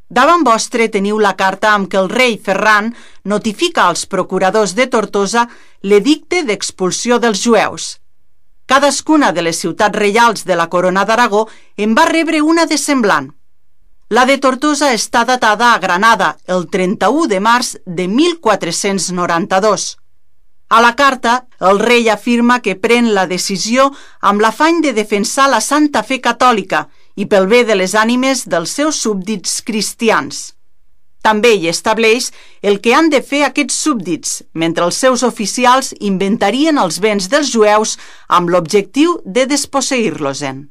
Davant vostre teniu la carta amb què el rei Ferran notifica als procuradors de Tortosa l'edicte d'expulsió dels jueus. Cadascuna de les ciutats reials de la Corona d'Aragó en va rebre una de semblant. La de Tortosa està datada a Granada el 31 de març de 1492. A la carta, el rei afirma que pren la decisió amb l'afany de defensar la santa fe catòlica i pel bé de les ànimes dels seus súbdits cristians. També hi estableix el que han de fer aquests súbdits, mentre els seus oficials inventarien els béns dels jueus amb l'objectiu de desposseir-los-en.